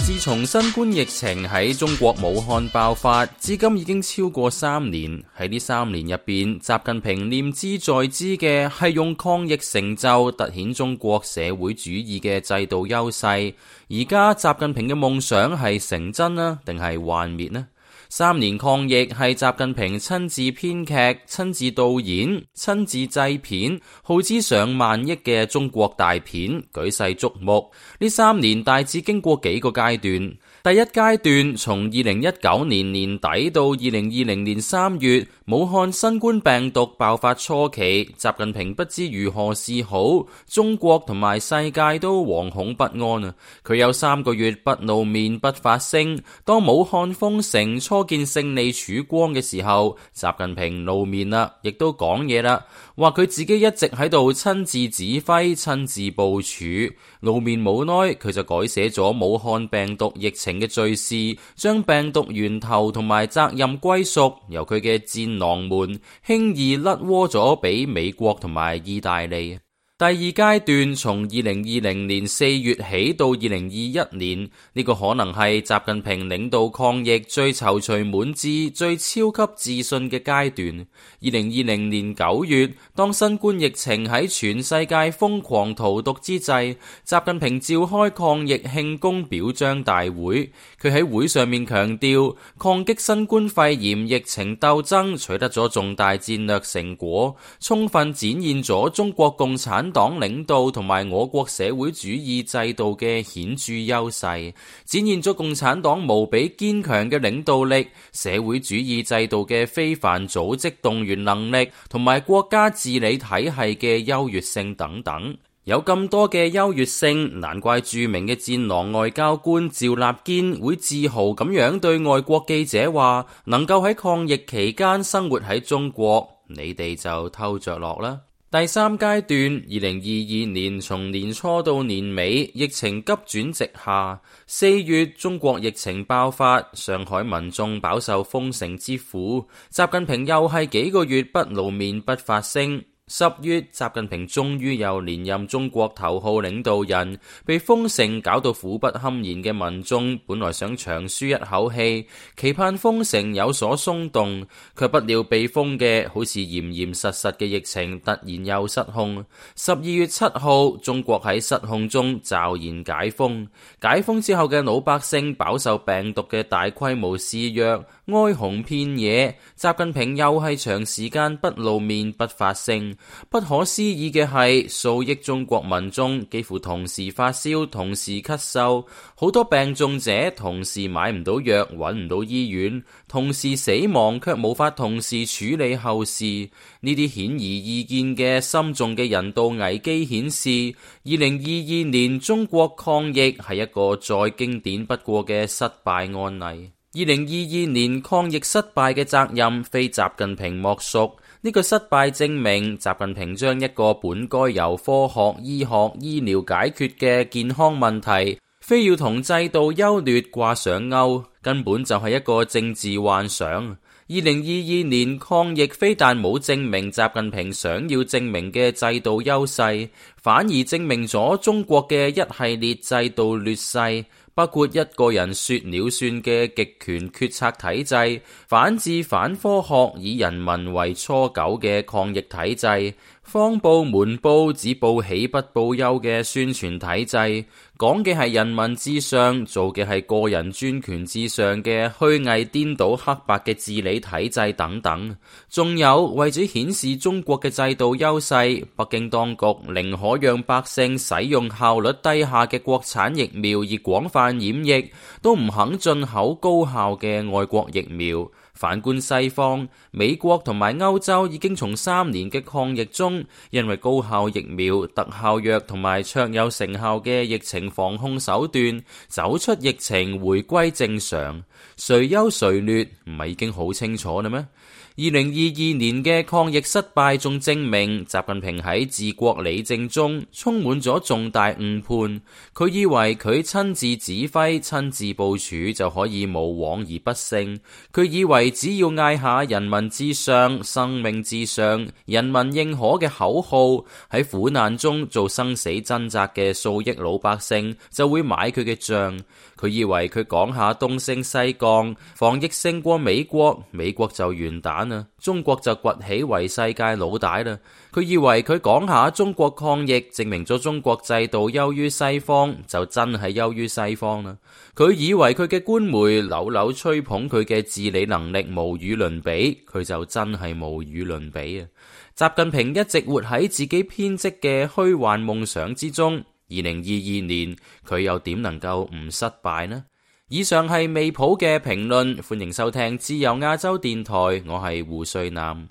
自從新冠疫情喺中國武漢爆發，至今已經超過3年。喺呢3年入邊，習近平念茲在茲嘅係用抗疫成就凸顯中國社會主義嘅制度優勢。而家習近平嘅夢想係成真啊，定係幻滅呢？3年抗疫係習近平親自編劇、親自導演、親自製片，耗資上萬億嘅中國大片，舉世矚目。呢3年大致經過幾個階段。第一階段從2019年年底到2020年3月，武漢新冠病毒爆發初期，習近平不知如何是好，中國同埋世界都惶恐不安啊！佢有3個月不露面不發聲。當武漢封城初見勝利曙光嘅時候，習近平露面啦，亦都講嘢啦，話佢自己一直喺度親自指揮、親自部署。露面冇耐，佢就改寫咗武漢病毒疫情嘅敘事，將病毒源頭同埋責任歸屬由佢嘅戰狼們輕易甩鍋咗俾美國同埋意大利。第二階段從2020年4月起到2021年，呢個可能係習近平領導抗疫最躊躇滿志、最超級自信嘅階段。2020年9月，當新冠疫情喺全世界瘋狂荼毒之際，習近平召開抗疫慶功表彰大會。佢喺會上面強調，抗擊新冠肺炎疫情鬥爭取得咗重大戰略成果，充分展現咗中國共產黨領導同埋我國社會主義制度嘅顯著優勢，展現咗共產黨無比堅強嘅領導力、社會主義制度嘅非凡組織動員能力同埋國家治理體系嘅優越性等等。有咁多嘅優越性，難怪著名嘅戰狼外交官趙立堅會自豪咁樣對外國記者話，能夠喺抗疫期間生活喺中國，你哋就偷着樂啦。第3階段，2022年從年初到年尾，疫情急轉直下。4月，中國疫情爆發，上海民眾飽受封城之苦，習近平又係幾個月不露面不發聲。10月，習近平終於又連任中國頭號領導人，被封城搞到苦不堪言嘅民眾本來想長舒一口氣，期盼封城有所鬆動，卻不料被封嘅好似嚴嚴實實嘅疫情突然又失控。12月7號，中國喺失控中驟然解封，解封之後嘅老百姓飽受病毒嘅大規模肆虐，哀鴻遍野。習近平又係長時間不露面不發聲。不可思議嘅係，數億中國民眾幾乎同時發燒、同時咳嗽，好多病重者同時買唔到藥、揾唔到醫院，同時死亡卻無法同時處理後事。呢啲顯而易見嘅深重嘅人道危機顯示，2022年中國抗疫係一個再經典不過嘅失敗案例。2022年抗疫失敗嘅責任非習近平莫屬。呢個失敗證明習近平將一個本該由科學、醫學、醫療解決嘅健康問題，非要同制度優劣掛上鈎，根本就係一個政治幻想。2022年抗疫非但冇證明習近平想要證明嘅制度優勢，反而證明咗中國嘅一系列制度劣勢，包括一個人說了算嘅極權決策體制、反智反科學以人民為芻狗嘅抗疫體制、謊報瞞報只報喜不報憂嘅宣傳體制，講嘅係人民至上，做嘅係個人專權至上嘅虛偽顛倒黑白嘅治理體制等等。仲有為咗顯示中國嘅制度優勢，北京當局寧可讓百姓使用效率低下嘅國產疫苗而廣泛染疫，都唔肯進口高效嘅外國疫苗。反觀西方，美國同埋歐洲已經從3年嘅抗疫中，因為高效疫苗、特效藥同埋卓有成效嘅疫情防控手段，走出疫情，回歸正常。誰優誰劣唔係已經好清楚啦咩？ 2022年嘅抗疫失敗仲證明習近平喺治國理政中充滿咗重大誤判。佢以為佢親自指揮、親自部署就可以無往而不勝。佢以為只要嗌下人民至上、生命至上、人民認可嘅口號，喺苦難中做生死掙扎嘅數億老百姓就會買佢嘅賬。佢以為佢講下東升西降，防疫勝過美國，美國就完蛋啦，中國就崛起為世界老大啦。佢以為佢講下中國抗疫，證明咗中國制度優於西方，就真係優於西方啦。佢以為佢嘅官媒柳柳吹捧佢嘅治理能力無與倫比，佢就真係無與倫比啊！習近平一直活喺自己編織嘅虛幻夢想之中。2022年佢又點能夠唔失敗呢？以上係未普嘅評論，歡迎收聽自由亞洲電台，我係胡瑞南。